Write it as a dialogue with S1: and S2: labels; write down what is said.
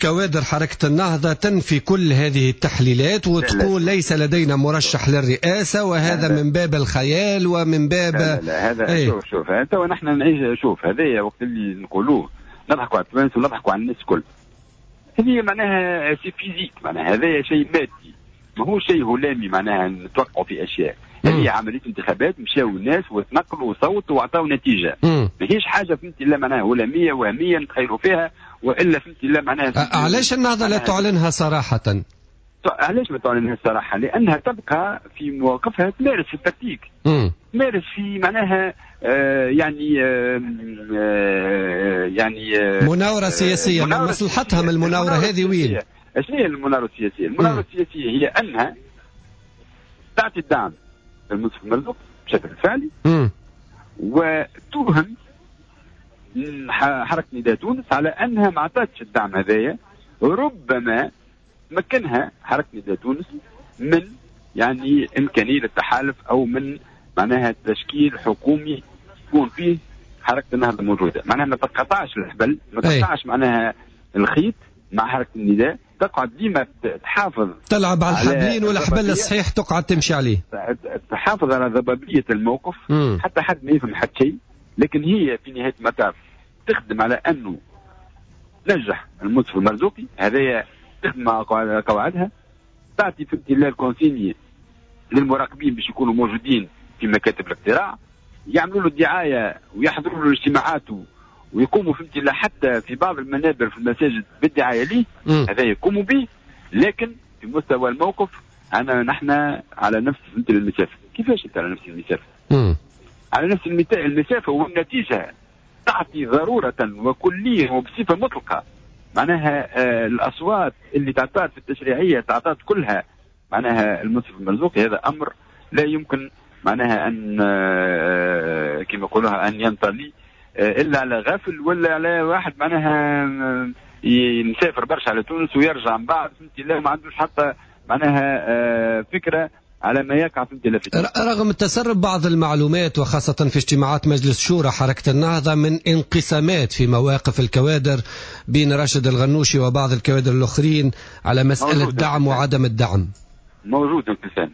S1: كوادر حركة النهضة تنفي كل هذه التحليلات وتقول ليس لدينا مرشح للرئاسة، وهذا من باب الخيال ومن باب
S2: لا لا هذا ايه؟ شوف شوف انت ونحن نعيش، شوف هذايا وقت اللي نقولوه نضحكوا على التوانسة ونضحكوا على الناس الكل. هذه معناها c'est physique، معناها هذا شيء مادي، ما هو شيء هلامي معناها نتوقعوا في اشياء. هذه عملية انتخابات، مشاو الناس وتنقلوا وصوتوا وعطاو نتيجة. ماهيش حاجة فهمتي لا معناها هلاميه وهمية نتخيلوا فيها، والا فهمتي لا معناها.
S1: علاش النهضة لا تعلنها صراحة؟
S2: علاش ما تعلنها صراحة؟ لانها تبقى في مواقفها تمارس في التكتيك، تمارس في معناها يعني يعني
S1: مناوره سياسية. مناورة مصلحتها من المناوره هذه وين؟
S2: شنو هي المناوره السياسية؟ المناوره السياسية هي انها تعطي الدعم للمنصف المرزوق بشكل فعلي وتوهم حركة نداء تونس على انها ما عطاتش الدعم هذايا، ربما مكنها حركة نداء تونس من يعني امكانية التحالف او من معناها تشكيل حكومي يكون فيه حركة النهضة موجودة، معناها ما تقطعش الحبل، ما تقطعش معناها الخيط مع حركة النداء، تقعد ديما تحافظ،
S1: تلعب على الحبلين والحبل الصحيح تقعد تمشي عليه،
S2: تحافظ على ضبابية الموقف. حتى حد ما يفهم حتى شيء، لكن هي في نهاية المطاف تخدم على انه تنجح المنصف المرزوقي، هذايا تخدم على قواعدها، تعطي في امتلاك ال consigne للمراقبين باش يكونوا موجودين في مكاتب الاقتراع، يعملوا له الدعاية ويحضروا له اجتماعات ويقوموا في امتلاك حتى في بعض المنابر في المساجد بالدعايه ليه، هذا يقوموا به. لكن في مستوى الموقف انا نحن على نفس المسافة. كيفاش انت على نفس المسافة؟ على نفس المسافة والنتيجة تعطي ضرورة وكلية وبصفه مطلقه، معناها الاصوات اللي تعطات في التشريعية تعطات كلها معناها المنصف المرزوقي. هذا امر لا يمكن معناها ان كما يقولوها ان ينطلي الا على غافل ولا على واحد معناها يسافر برشا على تونس ويرجع من بعد فهمتي لا ما عندوش حتى معناها فكرة على ما يقع في
S1: تونس. رغم تسرب بعض المعلومات وخاصة في اجتماعات مجلس شورى حركة النهضة من انقسامات في مواقف الكوادر بين راشد الغنوشي وبعض الكوادر الآخرين على مسألة دعم وعدم الدعم،
S2: موجود انقسام.